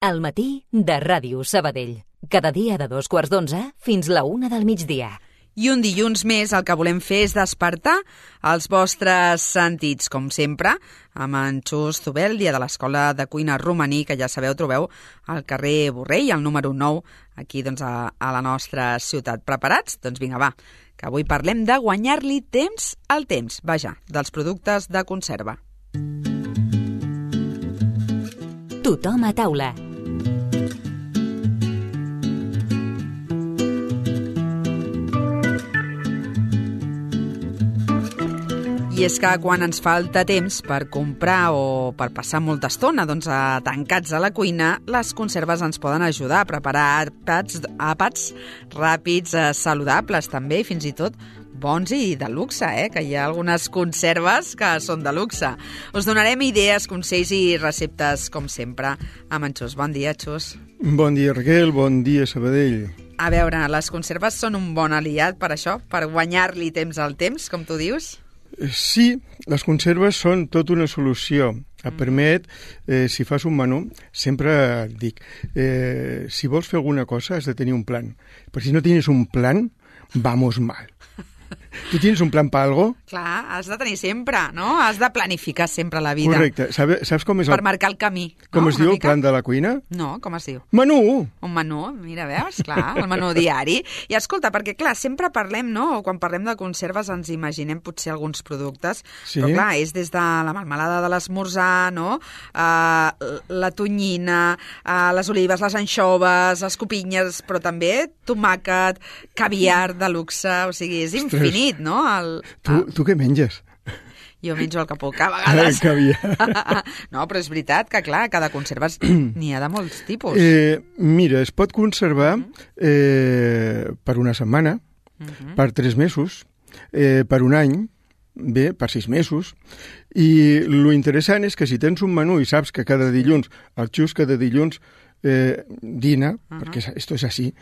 Al matí de Ràdio Sabadell. Cada dia de 2:15 fins la 1 del migdia. I un dilluns més el que volem fer és despertar els vostres sentits, com sempre, amb en Xus Zubel, dia de l'Escola de Cuina Romaní, que ja sabeu, trobeu al carrer Borrell, al número 9, aquí doncs, a la nostra ciutat. Preparats? Doncs vinga, va, que avui parlem de guanyar-li temps al temps, vaja, dels productes de conserva. Tothom a taula. I és que quan ens falta temps per comprar o per passar molta estona tancats a la cuina, les conserves ens poden ajudar a preparar àpats ràpids, saludables també, i fins i tot bons i de luxe, que hi ha algunes conserves que són de luxe. Us donarem idees, consells i receptes, com sempre, amb en Xus. Bon dia, Xus. Bon dia, Raquel. Bon dia, Sabadell. A veure, les conserves són un bon aliat per això, per guanyar-li temps al temps, com tu dius? Sí, les conserves són tota una solució. Et permet, si fas un menú, sempre et dic, si vols fer alguna cosa has de tenir un plan. Però si no tienes un plan, vamos mal. ¿Tú tienes un plan para algo? Clar, has de tenir sempre, no? Has de planificar sempre la vida. Correcte. Saps com és per marcar el camí. Com es diu el plan de la cuina? No, com es diu? Menú! Un menú, mira, veus? Clar, el menú diari. I escolta, perquè clar, sempre parlem, no? O quan parlem de conserves ens imaginem potser alguns productes, sí? Però clar, és des de la melmelada de l'esmorzar, no? La tonyina, les olives, les anxoves, les copinyes, però també tomàquet, caviar de luxe, o sigui, és infinit, no? Tu què menges? Jo menjo el que puc, a vegades. Caviar. No, però és veritat que, clar, cada conserva n'hi ha de molts tipus. Mira, es pot conservar per una setmana, per 3 mesos, per un any, bé, per 6 mesos, i lo interessant és que si tens un menú i saps que cada dilluns, el Xus cada dilluns dina, perquè esto és així,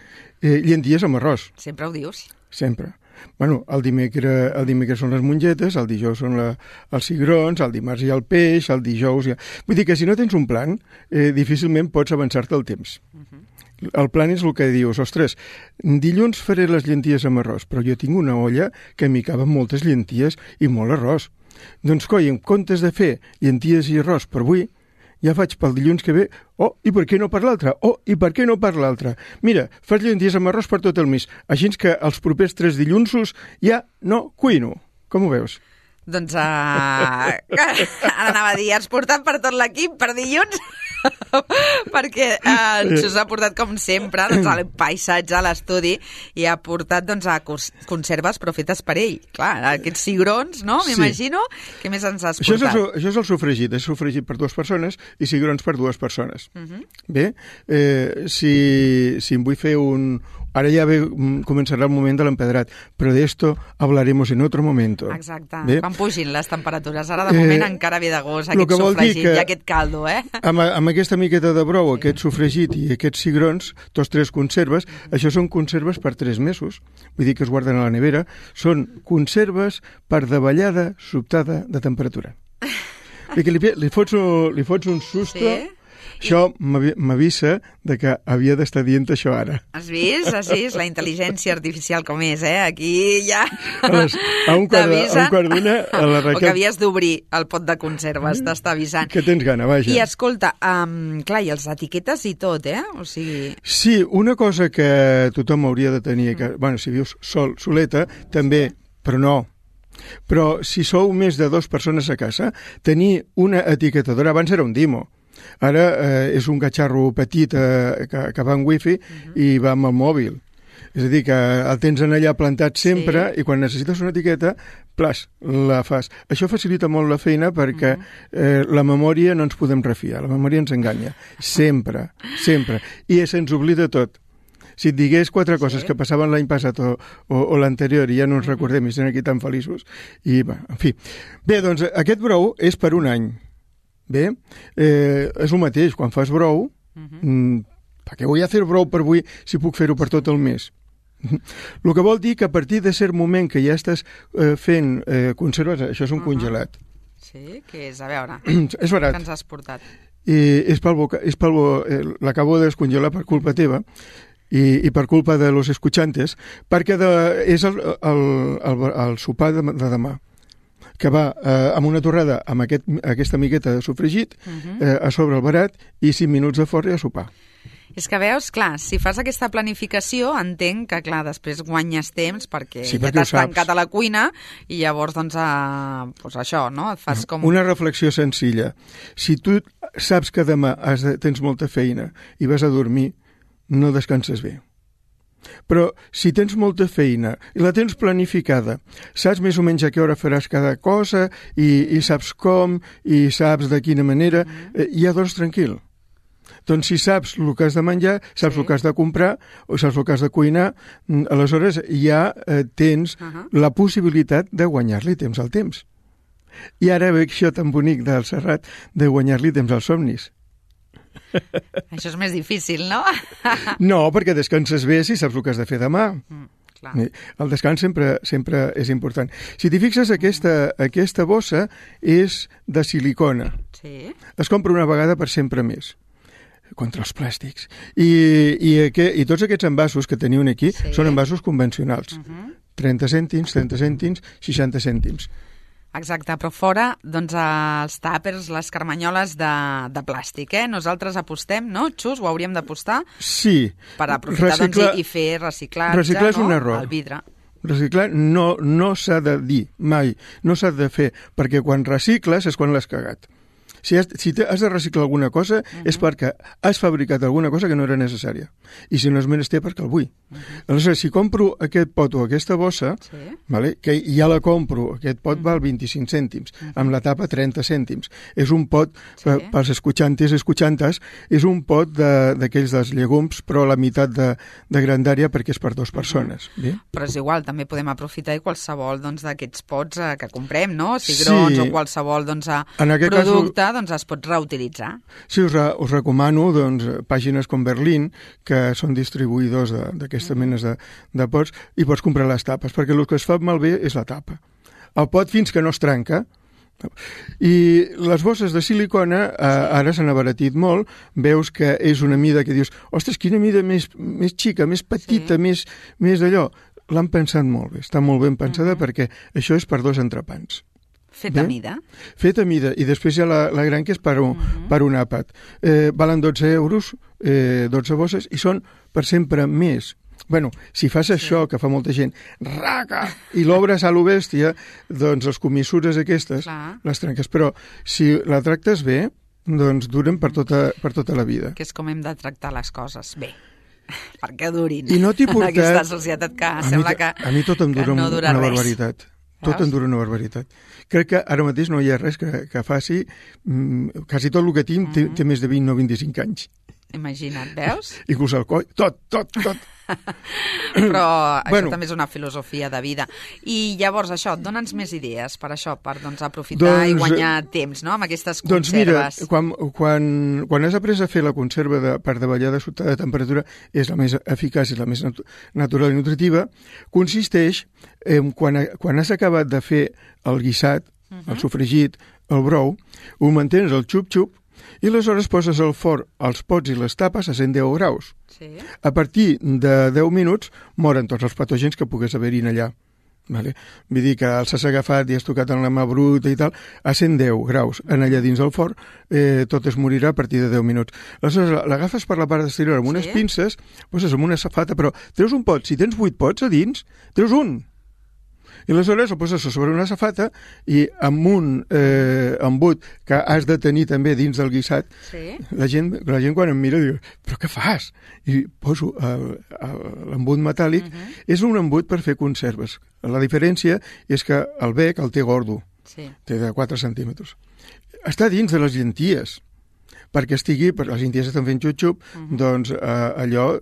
llenties amb arròs. Sempre ho dius. Sempre. Bueno, el dimecres són les mongetes, el dijous són els cigrons, el dimarts hi ha el peix, el dijous hi ha... Vull dir que si no tens un plan, difícilment pots avançar-te el temps. El plan és el que dius, ostres, dilluns faré les llenties amb arròs, però jo tinc una olla que m'hi caben moltes llenties i molt arròs. Doncs, coi, en comptes de fer llenties i arròs per avui, ja faig pel dilluns que ve, i per què no per l'altre? I per què no per l'altre? Mira, fas llenties amb arròs per tot el mes, així que els propers 3 dillunsos ja no cuino. Com ho veus? Doncs ara anava a dir, has portat per tot l'equip per dilluns? Perquè en Xus ha portat, com sempre, el paisatge a l'estudi i ha portat a conserves però fetes per ell. Clar, aquests cigrons, no? M'imagino. Què més ens has portat? Això és el sofregit. És sofregit per 2 persones i cigrons per 2 persones. Bé, si em vull fer un... Ara ja començarà el moment de l'empedrat, però d'esto hablaremos en otro momento. Exacte, quan pugin les temperatures. Ara, de moment, encara ve de gust aquest sofregit i aquest caldo, Amb aquesta miqueta de brou, aquest sofregit i aquests cigrons, tots 3 conserves, això són conserves per 3 mesos. Vull dir que es guarden a la nevera. Són conserves per davallada sobtada de temperatura. Li fots un susto... Sí? Això m'avisa que havia d'estar dient això ara. Has vist? Així és la intel·ligència artificial com és, Aquí ja a un quart d'una a la Raquel... O que havies d'obrir el pot de conserves, t'està avisant. Que tens gana, vaja. I escolta, clar, i els etiquetes i tot, O sigui... Sí, una cosa que tothom hauria de tenir, bueno, si vius soleta, també, però no. Però si sou més de 2 persones a casa, tenir una etiquetadora, abans era un Dimo, ara és un catxarro petit que va amb wifi i va amb el mòbil. És a dir, que el tens allà plantat sempre i quan necessites una etiqueta, la fas. Això facilita molt la feina perquè la memòria no ens podem refiar, la memòria ens enganya. Sempre, sempre. I se'ns oblida tot. Si et digués 4 coses que passaven l'any passat o l'anterior i ja no ens recordem i estem aquí tan feliços. I, en fi. Bé, doncs aquest brou és per un any. Bé, és el mateix, quan fas brou, per què vull fer brou per avui si puc fer-ho per tot el mes? El que vol dir que a partir de cert moment que ja estàs fent conserves, això és un congelat. Sí, que és, a veure, és barat. que ens has portat. l'acabo de descongelar per culpa teva i per culpa de los escuchantes, perquè és el sopar de demà, que va amb una torrada amb aquesta miqueta de sofregit, a sobre el barat, i 5 minuts de forn i a sopar. És que veus, clar, si fas aquesta planificació, entenc que, clar, després guanyes temps perquè ja t'has tancat a la cuina i llavors, doncs això, no? Et fas com... Una reflexió senzilla. Si tu saps que demà tens molta feina i vas a dormir, no descanses bé. Però si tens molta feina i la tens planificada, saps més o menys a què hora faràs cada cosa i saps com i saps de quina manera, ja dors tranquil. Doncs si saps el que has de menjar, saps el que has de comprar o saps el que has de cuinar, aleshores ja tens la possibilitat de guanyar-li temps al temps. I ara veig això tan bonic del Serrat de guanyar-li temps als somnis. Això és més difícil, no? No, perquè descanses bé si saps el que has de fer demà. Clar. El descans sempre és important. Si t'hi fixes, aquesta bossa és de silicona. Sí. Es compra una vegada per sempre més, contra els plàstics. I tots aquests envasos que teniu aquí són envasos convencionals. 30 cèntims, 60 cèntims. Exacte, però fora, doncs, els tàpers, les carmanyoles de plàstic, Nosaltres apostem, no, Xus? Ho hauríem d'apostar? Sí. Per aprofitar i fer reciclatge, reciclar és un error. El vidre. Reciclar no s'ha de dir mai, no s'ha de fer, perquè quan recicles és quan l'has cagat. Si has de reciclar alguna cosa és perquè has fabricat alguna cosa que no era necessària. I si no és menester, perquè el vull. Aleshores, si compro aquest pot o aquesta bossa, que ja la compro, aquest pot val 25 cèntims, amb la tapa 30 cèntims. És un pot, pels escuchantes, és un pot d'aquells dels llegums, però la meitat de grandària perquè és per 2 persones. Però és igual, també podem aprofitar qualsevol d'aquests pots que comprem, no? Cigrons o qualsevol producte es pot reutilitzar. Sí, us recomano pàgines com Berlín, que són distribuïdors d'aquestes menes de pots, i pots comprar les tapes, perquè el que es fa malbé és la tapa. El pot fins que no es trenca. I les bosses de silicona ara s'han abaratit molt, veus que és una mida que dius, ostres, quina mida més xica, més petita, més d'allò. L'han pensat molt bé, està molt ben pensada perquè això és per 2 entrepans. Fet a mida. Fet a mida, i després hi ha la gran que és per un àpat. Valen 12 euros, 12 bosses, i són per sempre més. Bueno, si fas això, que fa molta gent, raca, i l'obres a lo bèstia, doncs els comissures aquestes les trenques. Però si la tractes bé, doncs duren per tota la vida. Que és com hem de tractar les coses bé, perquè durin. I no t'hi portat... Aquesta societat que sembla que a mi tot em dura una barbaritat. Tot em dura una barbaritat. Crec que ara mateix no hi ha res que faci... Quasi tot el que tinc té més de 20 o 25 anys. Imagina't, veus? Inclús el coll, tot. Però això també és una filosofia de vida. I llavors això, dona'ns més idees per això, per aprofitar i guanyar temps, no?, amb aquestes conserves. Doncs mira, quan has après a fer la conserva per davallar de sota de temperatura, és la més eficaç, és la més natural i nutritiva, consisteix en quan has acabat de fer el guisat, el sofregit, el brou, ho mantens al xup-xup, i aleshores poses al forn els pots i les tapes a 110 graus. A partir de 10 minuts moren tots els patògens que pogués haver-hi allà. Vull dir que els has agafat i has tocat en la mà bruta i tal, a 110 graus allà dins del forn, tot es morirà a partir de 10 minuts. Aleshores l'agafes per la part exterior amb unes pinces, poses amb una safata, però treus un pot. Si tens 8 pots a dins, treus un. I aleshores el poses sobre una safata i amb un embut que has de tenir també dins del guisat, la gent quan em mira diu, però què fas? I poso l'embut metàl·lic. És un embut per fer conserves. La diferència és que el bec el té gordo, té de 4 centímetres. Està dins de les llenties, perquè les llenties estan fent xup-xup, doncs allò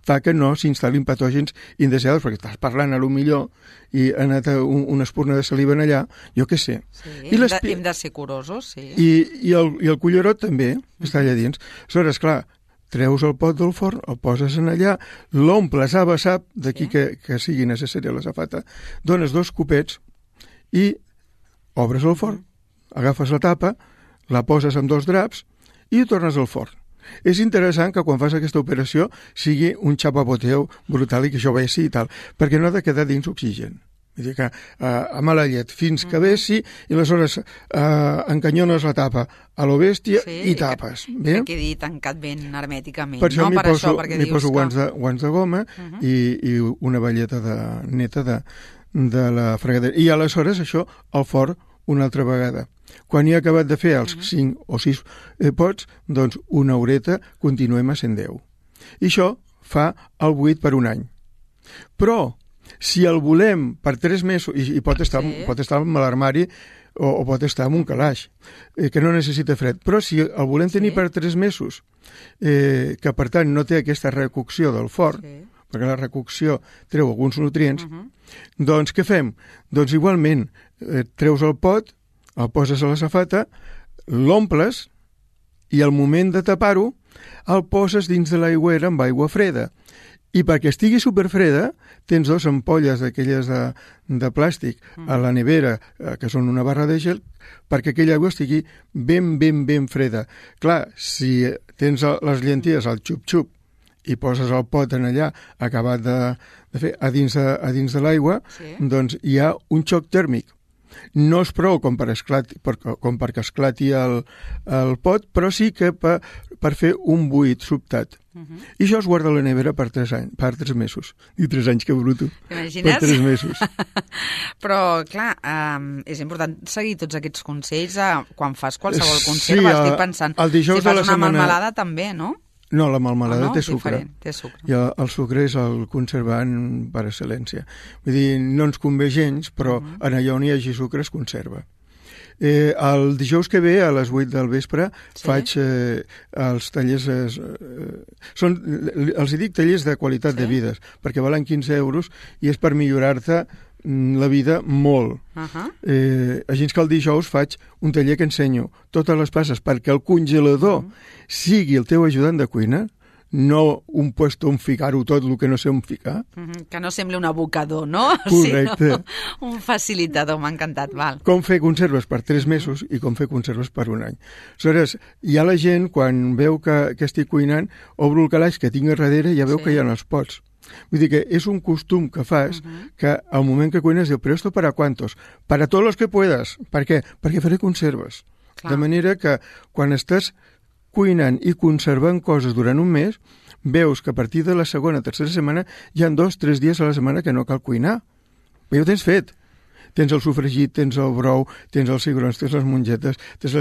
fa que no s'instal·lin patògens indeseables, perquè estàs parlant a lo millor i ha anat una espurna de saliva allà, jo què sé. Hem de ser curosos, sí. I el cullerot també està allà dins. Aleshores, clar, treus el pot del forn, el poses en allà, l'omples a vessap, d'aquí que sigui necessària la safata, dones 2 copets i obres el forn, agafes la tapa, la poses amb 2 draps i ho tornes al forn. És interessant que quan fas aquesta operació sigui un xapapoteu brutal i que això vessi i tal, perquè no ha de quedar dins oxigen. Vull dir que a mala llet fins que vessi i aleshores encanyones la tapa a lo bèstia i tapes. Que quedi tancat ben hermèticament. Per això m'hi poso guants de goma i una balleta neta de la fregadera. I aleshores això al forn una altra vegada. Quan he acabat de fer els 5 o 6 pots, doncs una horeta continuem a 110. I això fa el buit per un any. Però si el volem per 3 mesos, i pot estar en l'armari o pot estar en un calaix, que no necessita fred, però si el volem tenir per 3 mesos, que per tant no té aquesta recocció del forn, perquè la recocció treu alguns nutrients, doncs què fem? Doncs igualment treus el pot, el poses a la safata, l'omples i al moment de tapar-ho el poses dins de l'aigüera amb aigua freda. I perquè estigui superfreda, tens 2 ampolles d'aquelles de plàstic a la nevera, que són una barra de gel, perquè aquella aigua estigui ben freda. Clar, si tens les llenties al xup-xup i poses el pot en allà acabat de fer a dins de l'aigua, doncs hi ha un xoc tèrmic. No és prou com perquè esclati el pot, però sí que per fer un buit sobtat. I això es guarda a la nevera per 3 mesos. I 3 anys, que bruto. T'imagines? Per 3 mesos. Però, clar, és important seguir tots aquests consells quan fas qualsevol conserva. Estic pensant, si fas una melmelada també, no? No, la melmelada té sucre. Té sucre. I el sucre és el conservant per excel·lència. Vull dir, no ens convé gens, però en allà on hi hagi sucre es conserva. El dijous que ve, a les 8 del vespre, faig els tallers... Els dic tallers de qualitat de vides, perquè valen 15 euros i és per millorar-te la vida molt. Així que el dijous faig un taller que ensenyo totes les passes perquè el congelador sigui el teu ajudant de cuina, no un puesto on ficar-ho tot el que no sé on ficar. Que no sembli un abocador, no? Correcte. Un facilitador, m'ha encantat, val. Com fer conserves per 3 mesos i com fer conserves per un any. Aleshores, ja la gent, quan veu que estic cuinant, obro el calaix que tinc a darrere i ja veu que hi ha els pots. Vull dir que és un costum que fas que al moment que cuines diu, però esto para cuántos? Para todos los que puedas. Per què? Perquè faré conserves. Clar. De manera que quan estàs cuinant i conservant coses durant un mes, veus que a partir de la segona o tercera setmana hi ha 2 o 3 dies a la setmana que no cal cuinar. Però ja ho tens fet. Tens el sofregit, tens el brou, tens els cigrons, tens les mongetes, tens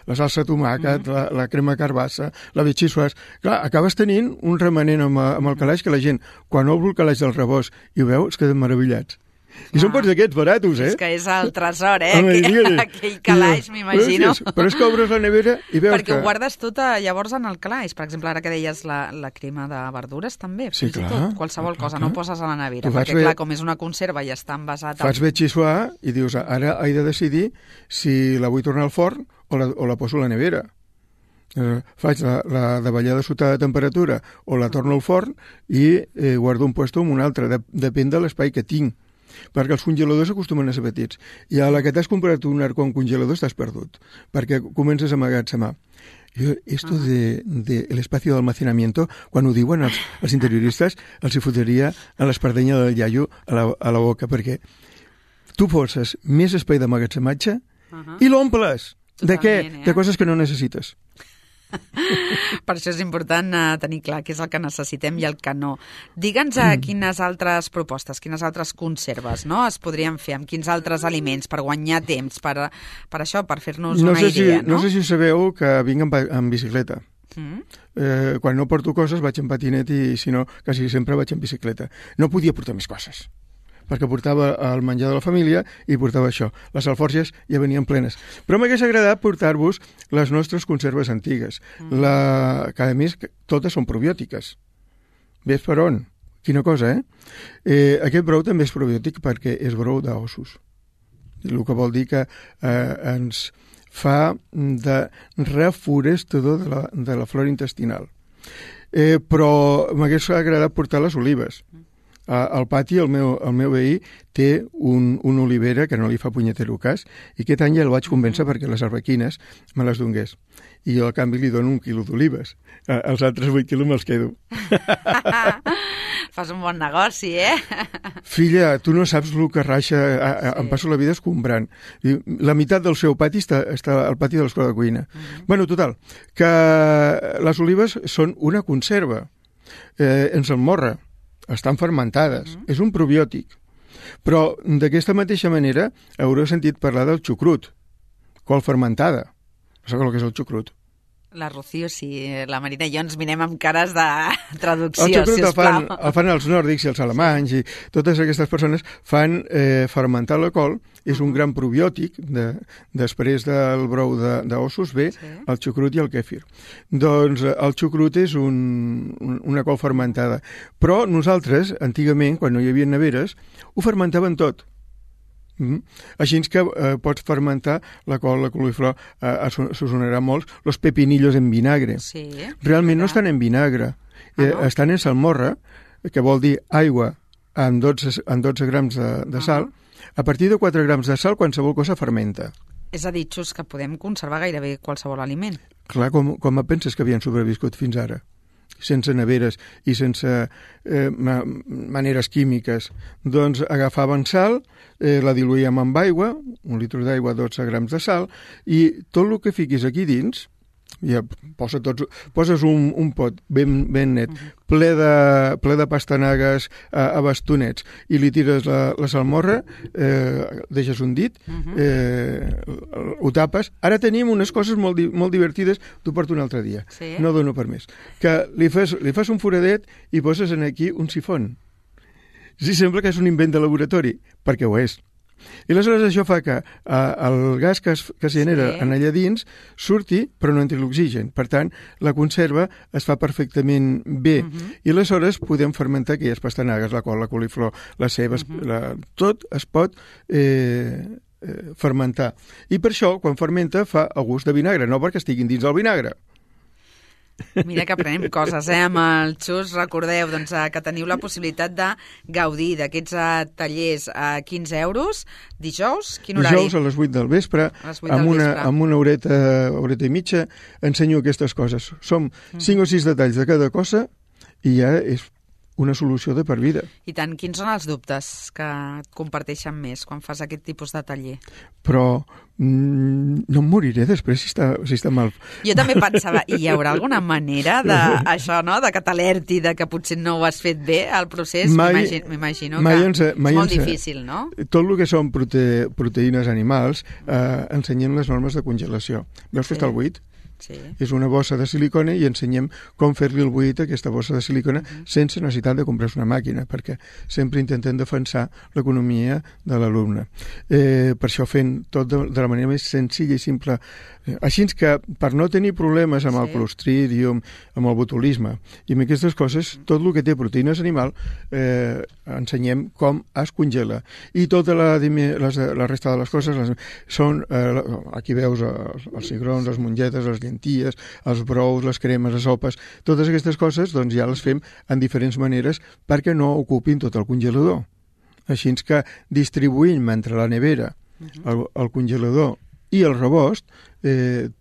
la salsa de tomàquet, la crema carbassa, la betxissuàs. Clar, acabes tenint un remanent amb el calaix que la gent, quan obre el calaix del rebost i ho veu, es queden meravellats. I són pots d'aquests baratos, És que és el tresor, aquell calaix, m'imagino. Però és que obres la nevera i veus perquè ho guardes tot llavors en el calaix. Per exemple, ara que deies la crema de verdures, també. Sí, clar. Qualsevol cosa, no ho poses a la nevera. Perquè, clar, com és una conserva i està envasat... Fas betxissuà i dius, ara he de decidir si la vull tornar al forn o la poso a la nevera. Faig la davallada sota de temperatura o la torno al forn i guardo un puesto en un altre. Depèn de l'espai que tinc. Perquè els congeladors acostumen a ser petits. I a la que t'has comprat un arcón congelador estàs perdut, perquè comences a emmagatzemar. Esto de l'espacio d'almacenamiento, quan ho diuen els interioristes, els hi fotria a l'espardenya del iaio a la boca, perquè tu forces més espai d'emmagatzematge i l'omples. De què? De coses que no necessites. Per això és important tenir clar què és el que necessitem i el que no. Digue'ns quines altres propostes, quines altres conserves es podrien fer, amb quins altres aliments, per guanyar temps, per això, per fer-nos una idea. No sé si sabeu que vinc en bicicleta. Quan no porto coses vaig en patinet i si no, quasi sempre vaig en bicicleta. No podia portar més coses, perquè portava el menjar de la família i portava això. Les alforges ja venien plenes. Però m'hagués agradat portar-vos les nostres conserves antigues, que a més totes són probiòtiques. Ves per on? Quina cosa, Aquest brou també és probiòtic perquè és brou d'ossos. El que vol dir que ens fa de reforestador de la flora intestinal. Però m'hagués agradat portar les olives. Al pati el meu veí té un olivera que no li fa punyetero cas i aquest any ja el vaig convèncer perquè les arbequines me les dongués. I jo, a canvi, li dono 1 quilo d'olives. Els altres 8 quilos me'ls quedo. Fas un bon negoci, eh? Filla, tu no saps el que raixa. Em passo la vida escombrant. La meitat del seu pati està al pati de l'escola de cuina. Bueno, total, que les olives són una conserva. En salmorra. Estan fermentades. És un probiòtic. Però d'aquesta mateixa manera haureu sentit parlar del xucrut. Col fermentada. No sé el que és el xucrut. La Rocío, sí. La Marina i jo ens mirem amb cares de traducció, sisplau. El fan els nòrdics i els alemanys i totes aquestes persones fan fermentar la col. És un gran probiòtic. Després del brou d'ossos ve el xucrut i el kèfir. Doncs el xucrut és una col fermentada. Però nosaltres, antigament, quan no hi havia neveres, ho fermentaven tot. Així que pots fermentar la col, la coliflor, s'us sonarà molt, los pepinillos en vinagre. Sí, realment no estan en vinagre, estan en salmorra, que vol dir aigua amb 12 grams de sal. A partir de 4 grams de sal, qualsevol cosa fermenta. És a dir, Xus, que podem conservar gairebé qualsevol aliment. Clar, com penses que havien sobreviscut fins ara? Sense neveres i sense maneres químiques. Doncs agafaven sal, la diluïem amb aigua, 1 litre d'aigua, 12 grams de sal, i tot el que fiquis aquí dins, ja poses un pot ben net, ple de pastanagues a bastonets, i li tires la salmorra, deixes un dit, ho tapes. Ara tenim unes coses molt divertides, t'ho porto un altre dia, no dono per més, que li fas un foradet i poses aquí un sifon. Sí, sembla que és un invent de laboratori, perquè ho és. I aleshores això fa que el gas que es genera en allà dins surti, però no entri l'oxigen. Per tant, la conserva es fa perfectament bé. I aleshores podem fermentar aquelles pastanagues, la col, la coliflor, les cebes, tot es pot fermentar. I per això, quan fermenta, fa el gust de vinagre, no perquè estiguin dins del vinagre. Mira que aprenem coses, amb el Xus. Recordeu que teniu la possibilitat de gaudir d'aquests tallers a 15 euros. Dijous, quin horari? Dijous a les 8 del vespre, amb una horeta i mitja, ensenyo aquestes coses. Som 5 o 6 detalls de cada cosa i ja és una solució de per vida. I tant, quins són els dubtes que et comparteixen més quan fas aquest tipus de taller? Però no em moriré després si està mal. Jo també pensava, hi haurà alguna manera d'això, no?, de que t'alerti, de que potser no ho has fet bé, el procés? M'imagino que és molt difícil, no? Tot el que són proteïnes animals, ensenyem les normes de congelació. Veus que està al buit? Sí. És una bossa de silicona i ensenyem com fer-li el buit a aquesta bossa de silicona sense necessitat de comprar una màquina, perquè sempre intentem defensar l'economia de l'alumne. Per això fent tot de la manera més senzilla i simple. Així que, per no tenir problemes amb el clostridium, amb el botulisme i amb aquestes coses, tot el que té proteïnes animal ensenyem com es congela. I tota la resta de les coses són, aquí veus els cigrons, les mongetes, les llenties, els brous, les cremes, les sopes, totes aquestes coses doncs ja les fem en diferents maneres perquè no ocupin tot el congelador. Així que distribuïm entre la nevera, el congelador i el rebost,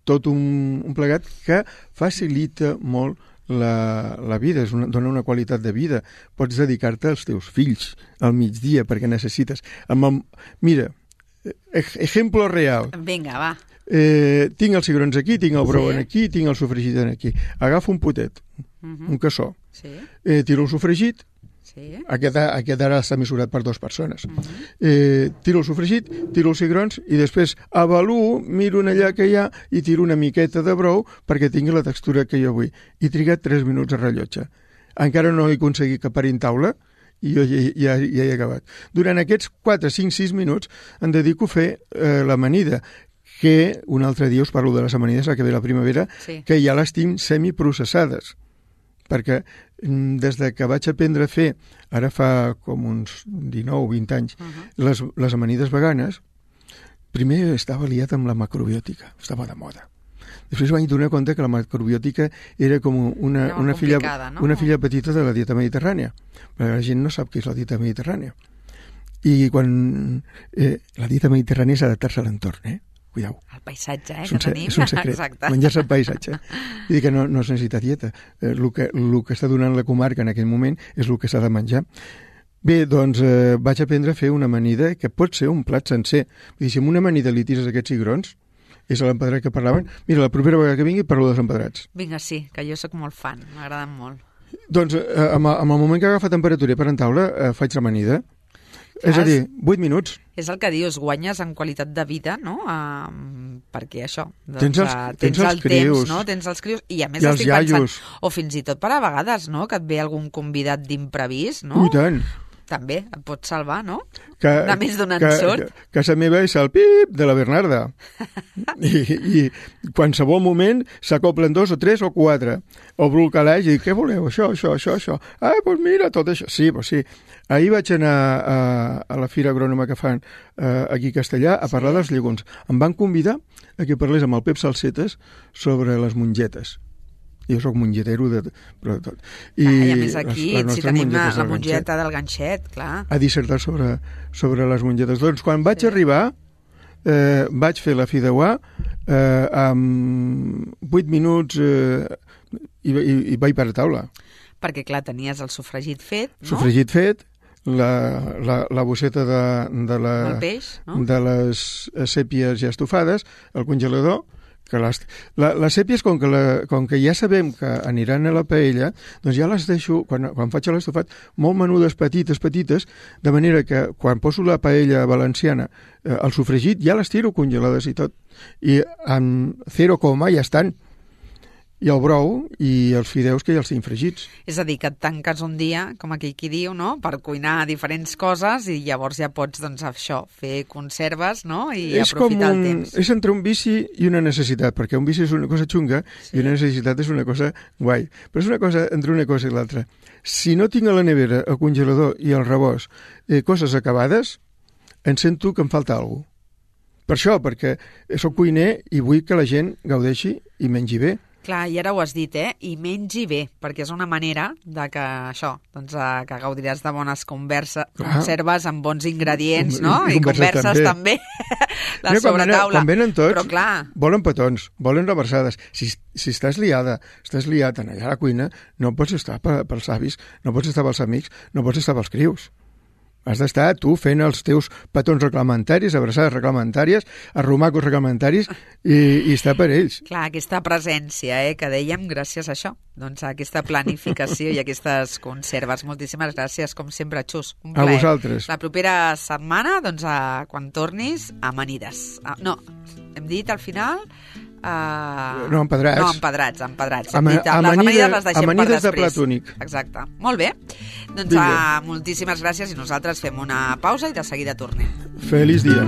tot un plegat que facilita molt la vida, dona una qualitat de vida. Pots dedicar-te als teus fills al migdia perquè necessites. Mira, ejemplo real. Vinga, va. Tinc els cigrons aquí, tinc el brou aquí, tinc el sofregit aquí. Agafo un potet, un cassó, tiro el sofregit, aquest ara està mesurat per 2 persones. Tiro el sofregit, tiro els cigrons i després avaluo, miro allà que hi ha i tiro una miqueta de brou perquè tingui la textura que jo vull. He trigat 3 minuts a rellotge. Encara no he aconseguit que parin taula i jo ja he acabat. Durant aquests 4, 5, 6 minuts em dedico a fer l'amanida, que un altre dia us parlo de les amanides, que ve la primavera, que ja les tinc semiprocessades, perquè des que vaig aprendre a fer, ara fa com uns 19 o 20 anys, les amanides veganes, primer estava liat amb la macrobiòtica, estava de moda. Després vaig donar compte que la macrobiòtica era com una filla petita de la dieta mediterrània, perquè la gent no sap què és la dieta mediterrània. I quan la dieta mediterrània és adaptar-se a l'entorn, Cuidao. El paisatge, que tenim. És un secret. Exacte. Menjar-se el paisatge. Vull dir que no es necessita dieta. El que està donant la comarca en aquell moment és el que s'ha de menjar. Bé, doncs vaig aprendre a fer una amanida que pot ser un plat sencer. Vull dir, si amb una amanida li tires aquests cigrons, és l'empedrat que parlaven, mira, la propera vegada que vingui parlo dels empedrats. Vinga, sí, que jo sóc molt fan, m'agraden molt. Doncs amb el moment que agafa temperatura per en taula, faig l'amanida. És a dir, 8 minuts. És el que dius, guanyes en qualitat de vida, no? Perquè això, tens el crius, temps, no? Tens els crius, i a més i estic pensant, o fins i tot per a vegades, no? Que et ve algun convidat d'imprevist, no? I tant. També et pot salvar, no? De més d'un ensurt. Que casa meva és el pip de la Bernarda. I qualsevol moment s'acoplen 2 o 3 o 4. Obro el calaix i dic, què voleu? Això. Ah, doncs mira, tot això. Sí, doncs sí. Ahir vaig anar a la fira agrònoma que fan aquí a Castellà a parlar dels llegums. Em van convidar a que parlés amb el Pep Salsetes sobre les mongetes. Jo soc mongetero de tot. I a més aquí, si tenim la mongeta del ganxet, clar. A dissertar sobre les mongetes. Doncs quan vaig arribar, vaig fer la fideuà amb 8 minuts i vaig per a taula. Perquè, clar, tenies el sofregit fet, no? Sofregit fet, la bosseta de les sèpies ja estufades, el congelador, que les sèpies, com que ja sabem que aniran a la paella, doncs ja les deixo, quan faig l'estofat, molt menudes, petites, de manera que quan poso la paella valenciana, el sofregit, ja les tiro congelades i tot. I amb 0, ja estan. I el brou i els fideus que ja els tinc fregits. És a dir, que et tanques un dia, com aquell qui diu, no?, per cuinar diferents coses i llavors ja pots, doncs, això, fer conserves, no?, i aprofitar el temps. És entre un vici i una necessitat, perquè un vici és una cosa xunga i una necessitat és una cosa guai. Però és una cosa entre una cosa i l'altra. Si no tinc a la nevera, el congelador i el rebost coses acabades, em sento que em falta alguna cosa. Per això, perquè soc cuiner i vull que la gent gaudeixi i mengi bé. Clar, i ara ho has dit, i mengi bé, perquè és una manera de que això, doncs que gaudiràs de bones conserves amb bons ingredients, no? I converses també de sobretaula. Quan venen tots, però, clar, volen petons, volen reversades. Si estàs liat allà a la cuina, no pots estar pels avis, no pots estar pels amics, no pots estar pels crius. Has d'estar tu fent els teus petons reglamentaris, abraçades reglamentàries, arromacos reglamentaris i estar per ells. Clar, aquesta presència, que dèiem gràcies a això, doncs a aquesta planificació i aquestes conserves. Moltíssimes gràcies, com sempre, Xus. Un plaer. A vosaltres. La propera setmana, doncs, quan tornis, amanides. No, hem dit al final... No, empedrats. No, empedrats. Les amanides les deixem per després. De plat únic. Exacte. Molt bé. Doncs moltíssimes gràcies i nosaltres fem una pausa i de seguida tornem. Feliç dia.